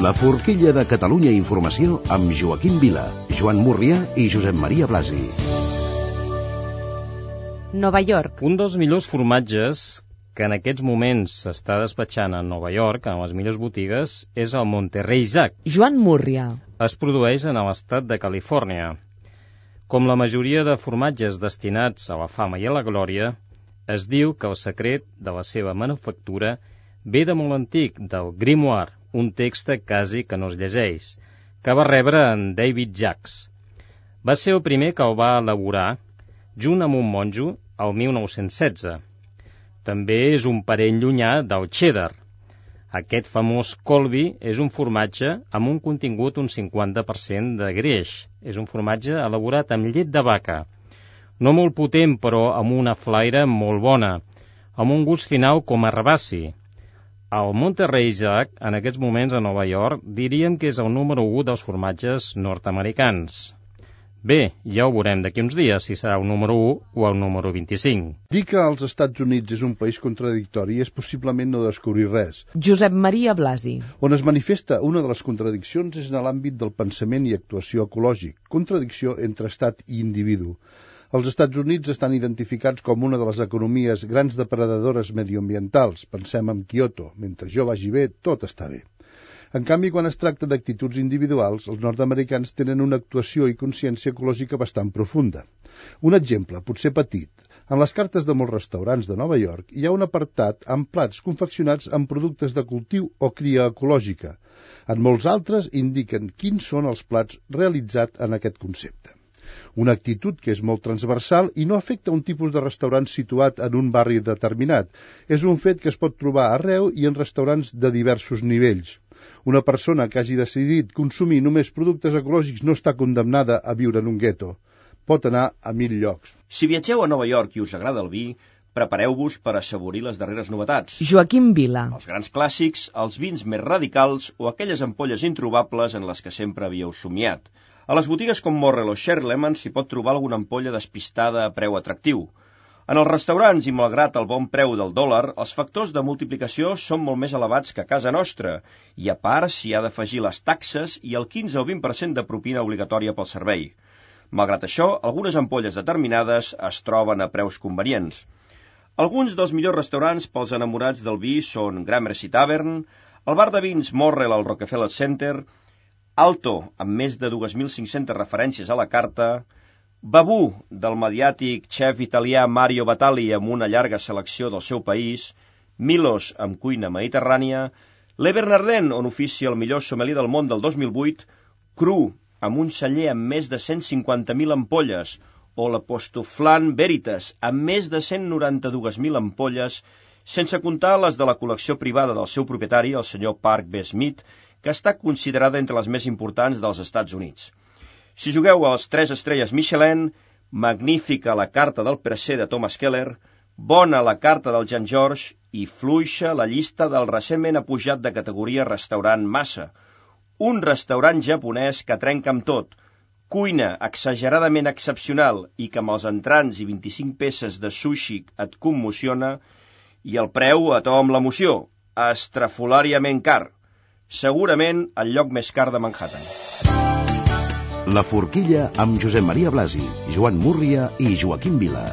La forquilla de Catalunya Informació amb Joaquim Vila, Joan Murrià i Josep Maria Blasi. Nova York. Un dels millors formatges que en aquests moments s'està despatxant a Nova York, en les millors botigues, és el Monterrey Jack. Joan Murrià. Es produeix en l'estat de Califòrnia. Com la majoria de formatges destinats a la fama i a la glòria, es diu que el secret de la seva manufactura ve de molt antic, del Grimoire, un text quasi que no es llegeix, que va rebre en David Jacques. Va ser el primer que el va elaborar, junt amb un monjo, el 1916. També és un parent llunyà del cheddar. Aquest famós Colby és un formatge amb un contingut un 50% de greix. És un formatge elaborat amb llet de vaca. No molt potent, però amb una flaire molt bona, amb un gust final com a herbaci. El Monterrey Jack, en aquests moments a Nova York, diríem que és el número 1 dels formatges nord-americans. Bé, ja ho veurem d'aquí uns dies, si serà el número 1 o el número 25. Dir que els Estats Units és un país contradictori és possiblement no descobrir res. Josep Maria Blasi. On es manifesta una de les contradiccions és en l'àmbit del pensament i actuació ecològic, contradicció entre estat i individu. Els Estats Units estan identificats com una de les economies grans depredadores medioambientals. Pensem en Kyoto. Mentre jo vagi bé, tot està bé. En canvi, quan es tracta d'actituds individuals, els nord-americans tenen una actuació i consciència ecològica bastant profunda. Un exemple, potser petit. En les cartes de molts restaurants de Nova York hi ha un apartat amb plats confeccionats amb productes de cultiu o cria ecològica. En molts altres indiquen quins són els plats realitzats en aquest concepte. Una actitud que és molt transversal i no afecta un tipus de restaurant situat en un barri determinat. És un fet que es pot trobar arreu i en restaurants de diversos nivells. Una persona que hagi decidit consumir només productes ecològics no està condemnada a viure en un gueto. Pot anar a 1000 llocs. Si viatgeu a Nova York i us agrada el vi, prepareu-vos per assaborir les darreres novetats. Joaquim Vila. Els grans clàssics, els vins més radicals o aquelles ampolles introbables en les que sempre havíeu somiat. A les botigues com Morrell o Sherry Lemon s'hi pot trobar alguna ampolla despistada a preu atractiu. En els restaurants, i malgrat el bon preu del dòlar, els factors de multiplicació són molt més elevats que a casa nostra, i a part s'hi ha d'afegir les taxes i el 15 o 20% de propina obligatòria pel servei. Malgrat això, algunes ampolles determinades es troben a preus convenients. Alguns dels millors restaurants pels enamorats del vi són Gramercy Tavern, el bar de vins Morrell al Rockefeller Center, Alto, amb més de 2.500 referències a la carta, Babú, del mediàtic xef italià Mario Batali amb una llarga selecció del seu país, Milos, amb cuina mediterrània, Le Bernardin, on oficia el millor sommelier del món del 2008, Cru, amb un celler amb més de 150.000 ampolles, o l'Apostoflan Veritas, amb més de 192.000 ampolles, sense comptar les de la col·lecció privada del seu propietari, el senyor Park B. Smith, que està considerada entre les més importants dels Estats Units. Si jugueu als 3 estrelles Michelin, magnífica la carta del Presser de Thomas Keller, bona la carta del Jean George i fluixa la llista del recentment apujat de categoria restaurant Massa, un restaurant japonès que trenca amb tot, cuina exageradament excepcional i que amb els entrants i 25 peces de sushi et commociona, i el preu a to amb l'emoció, estrafolàriament car. Segurament el lloc més car de Manhattan. La forquilla amb Josep Maria Blasi, Joan Murrià i Joaquim Vila.